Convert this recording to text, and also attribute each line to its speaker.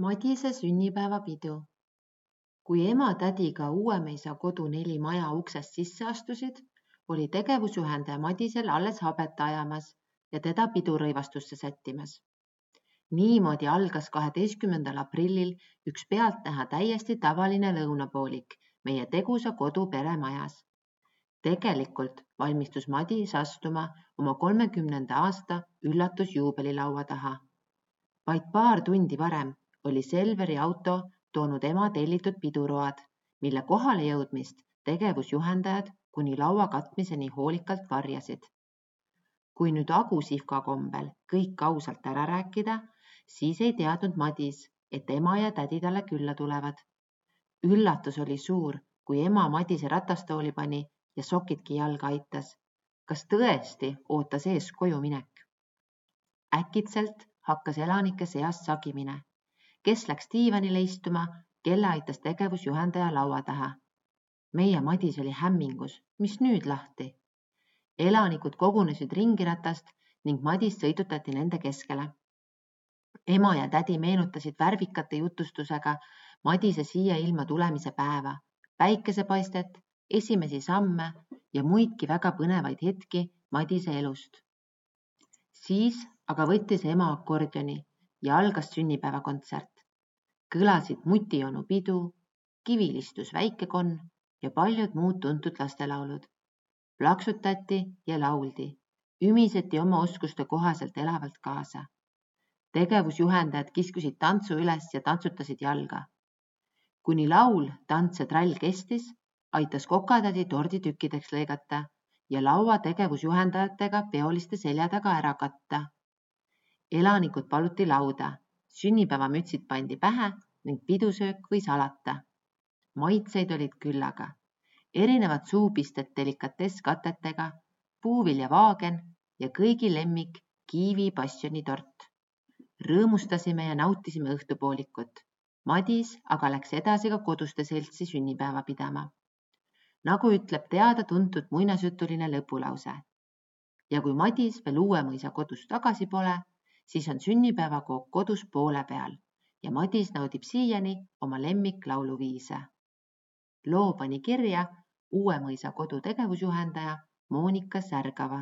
Speaker 1: Madise sünnipäevapidu. Kui ema-tädiga Uuemeisa kodu 4 maja uksest sisse astusid, oli tegevusjuhendaja Madisel alles habet ajamas ja teda pidurõivastusse sättimas. Niimoodi algas 12. aprillil üks pealtnäha täiesti tavaline lõunapoolik meie tegusa kodu peremajas. Tegelikult valmistus Madis astuma oma 30. aasta üllatusjuubelilaua taha. Vaid paar tundi varem oli Selveri auto toonud ema tellitud piduroad, mille kohale jõudmist tegevusjuhendajad kuni laua katmiseni hoolikalt varjasid. Kui nüüd agusihka kombel kõik ausalt ära rääkida, siis ei teadnud Madis, et ema ja tädi talle külla tulevad. Üllatus oli suur, kui ema Madise ratastooli pani ja sokidki jalga aitas. Kas tõesti ootas ees koju minek? Äkitselt hakkas elanike seast sagimine. Kes läks diivanile istuma, kelle aitas tegevusjuhendaja laua taha. Meie Madis oli hämmingus, mis nüüd lahti? Elanikud kogunesid ringiratast ning Madis sõidutati nende keskele. Ema ja tädi meenutasid värvikate jutustusega Madise siia ilma tulemise päeva, päikesepaistet, esimesi samme ja muidki väga põnevaid hetki Madise elust. Siis aga võttis ema akordioni ja algas sünnipäevakontsert. Kõlasid Mutionu pidu, Kivilistus väikekonn ja paljud muud tuntud lastelaulud. Plaksutati ja lauldi, ümiseti oma oskuste kohaselt elavalt kaasa. Tegevusjuhendajad kiskusid tantsu üles ja tantsutasid jalga. Kuni laul, tants ja trall kestis, aitas kokatädi tordi tükkideks lõigata ja laua tegevusjuhendajatega peoliste selja taga ära katta. Elanikud paluti lauda, sünnipäevamütsid pandi pähe ning pidusöök võis alata. Maitseid olid küllaga. Erinevad suupisted delikatesskatetega, puuviljavaagen ja kõigi lemmik kiivi passioni-tort. Rõõmustasime ja nautisime õhtupoolikut. Madis aga läks edasi ka koduste seltsi sünnipäeva pidama. Nagu ütleb teada-tuntud muinasjutuline lõpulause. Ja kui Madis veel Uuemõisa kodus tagasi pole, siis on sünnipäevakook kodus poole peal ja Madis naudib siiani oma lemmiklauluviise. Loo pani kirja Uuemõisa kodu tegevusjuhendaja Moonika Särgava.